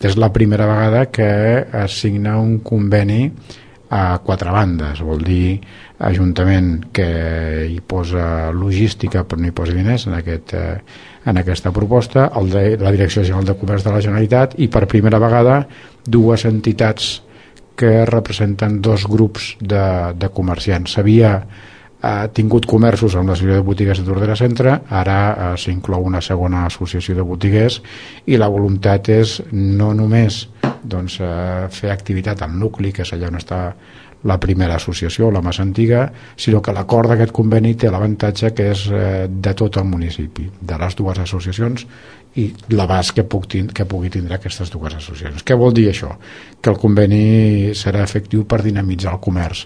És la primera vegada que es signa un conveni a 4 bandes, vol dir Ajuntament, que hi posa logística però no hi posa diners en aquesta proposta, la Direcció General de Comerç de la Generalitat, i per primera vegada 2 entitats que representen 2 grups de comerciants. S'havia tingut comerços amb l'associació de botiguers de Tordera Centre, ara s'inclou una segona associació de botiguers, i la voluntat és no només fer activitat al nucli, que és allà on està la primera associació, la més antiga, sinó que l'acord d'aquest conveni té l'avantatge que és de tot el municipi, de les 2 associacions i l'abast que pugui tindre aquestes 2 associacions. Què vol dir això? Que el conveni serà efectiu per dinamitzar el comerç.